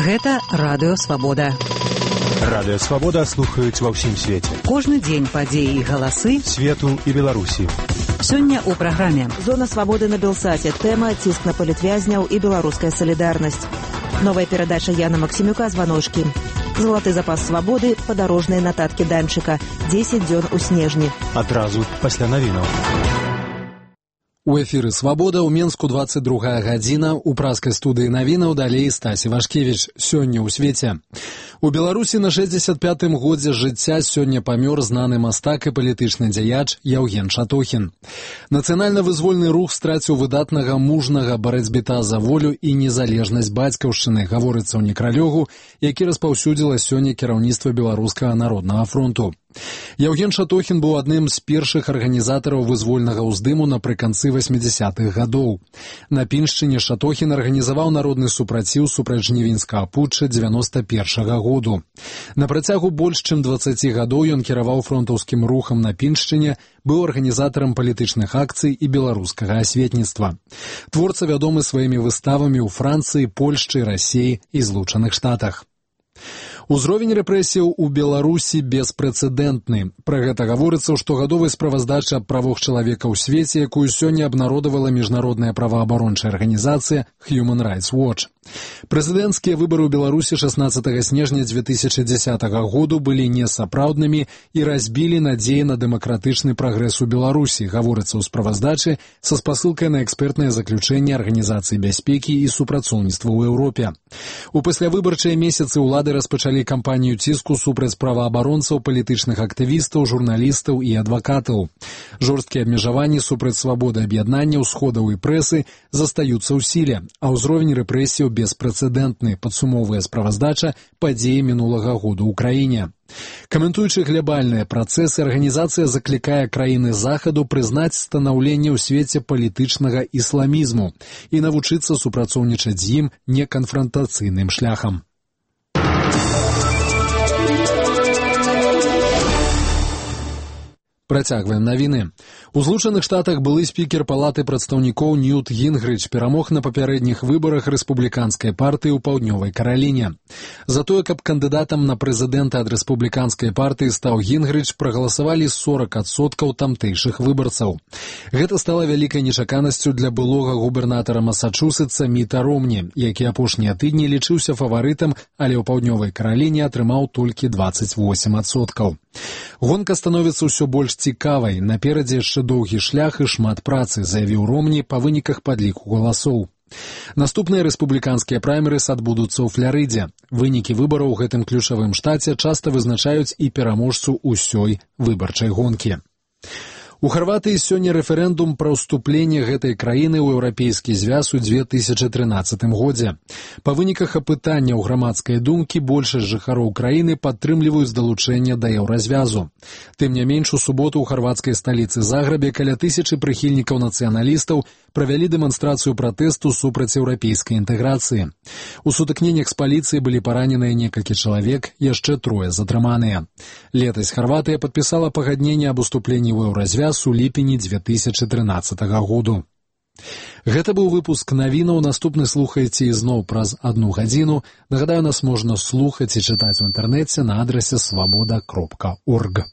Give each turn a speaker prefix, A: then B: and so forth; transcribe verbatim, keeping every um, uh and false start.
A: Гэта Радыё Свабода.
B: Радыё Свабода слухаюць ва ўсім свеце.
A: Кожны дзень падзеі і галасы
B: свету і Беларусі.
A: Сёння ў праграме
C: «Зона свабоды на Белсаце». Тэма «Ціск на палітвязняў і беларуская салідарнасць». Новая перадача Яна Максімюка «Званочкі». Залаты запас свабоды, падарожныя нататкі Данчыка. дзесяць дзён у снежні.
B: Адразу пасля навінаў.
D: У эфіры «Свабода» ў Менску двадцать другая гадзіна. У праскай студыі навінаў далей Стасі Вашкевіч. Сёння ў свеце. У Беларусі на шэсцьдзесят пятым годзе жыцця сёння памёр знаны мастак і палітычны дзяяч Яўген Шатохін. Нацыянальна-вызвольны рух страціў выдатнага мужнага барацьбіта за волю і незалежнасць бацькаўшчыны, гаворыцца ў некралёгу, які распаўсюдзіла сёння кіраўніцтва Беларускага народнага фронту. Яўген Шатохін быў адным з першых арганізатараў вызвольнага ўздыму напрыканцы восьмидесятых гадоў. На Піншчыне Шатохін арганізаваў народны супраціў супраць жнівеньскага путча дзевяносто першага году. На працягу больш чым дваццаці гадоў ён кіраваў фронтаўскім рухам на Піншчыне, быў арганізатарам палітычных акцый і беларускага асветніцтва. Творца вядомы сваімі выставамі ў Францыі, Польшчы, Расіі і Злучаных Штатах. Узровень рэпрэсіяў у Беларусі беспрэцэдэнтны. Пра гэта гаворыцца ў штогадовай справаздачы аб правах чалавека ў свеце, якую сёння абнародавала міжнародная праваабарончая арганізацыя Human Rights Watch. Прэзідэнцкія выбары ў Беларусі шаснаццатага снежня дзве тысячы дзесятага году былі несапраўднымі і разбілі надзеі на дэмакратычны прагрэс у Беларусі, гаворыцца ў справаздачы са спасылкай на экспертнае заключэнне Арганізацыі бяспекі і супрацоўніцтва ў Еўропе. У паслявыбарчыя месяцы ўлады распачалі кампанію ціску супраць праваабаронцаў, палітычных актывістаў, журналістаў і адвакатаў. Жорсткія абмежаванні супраць свабоды аб'яднання, усходаў і прэсы застаюцца ў сіле, а ўзровень рэпрэсіяў беспрэцэдэнтны, падсумоўвае справаздача падзеі мінулага году ў краіне. Каментуючы глябальныя працэсы, арганізацыя заклікае краіны захаду прызнаць станаўленне ў свеце палітычнага ісламізму і навучыцца супрацоўнічаць з ім неканфрантацыйным шляхам. Працягваем навіны. У Злучаных Штатах былы спікер палаты прадстаўнікоў Ньют Гінгрыч перамог на папярэдніх выбарах рэспубліканскай партыі ў Паўднёвай Караліне. За тое, каб кандыдатам на прэзідэнта ад рэспубліканскай партыі стаў Гінгрыч, прагаласавалі сорок адсоткаў тамтэйшых выбарцаў. Гэта стала вялікай нечаканасцю для былога губернатара Масачусетса Міта Ромні, які апошнія тыдні лічыўся фаварытам, але ў Паўднёвай Караліне атрымаў толькі дваццаць восем адсоткаў. Гонка становіцца ўсё больш цікавай, наперадзе яшчэ доўгі шлях і шмат працы, заявіў Ромні па выніках падліку галасоў. Наступныя рэспубліканскія праймерыс адбудуцца ў Фларыдзе. Вынікі выбараў у гэтым ключавым штаце часта вызначаюць і пераможцу ўсёй выбарчай гонкі. У Харватыі сёння рэферэндум пра ўступленне гэтай краіны ў еўрапейскі звяз у дзве тысячы трынаццатым годзе. Па выніках апытання ў грамадскай думкі большасць жыхароў краіны падтрымліваюць далучэнне да еўразвязу. Тым не менш, у суботу ў харвацкай сталіцы Загребе каля тысячы прыхільнікаў нацыяналістаў правялі дэманстрацыю пратэсту супраць еўрапейскай інтэграцыі. У сутыкненнях з паліцыяй былі параненыя некалькі чалавек, яшчэ трое затрыманыя. Летась Харватыя падпісала пагадненне аб уступленні ў еўразвяз у ліпені дзве тысячы трынаццатага году. Гэта быў выпуск навінаў. Наступны слухайце ізноў праз адну гадзіну. Нагадаю, нас можна слухаць і чытаць у інтэрнэце на адрасе свабода кропка орг.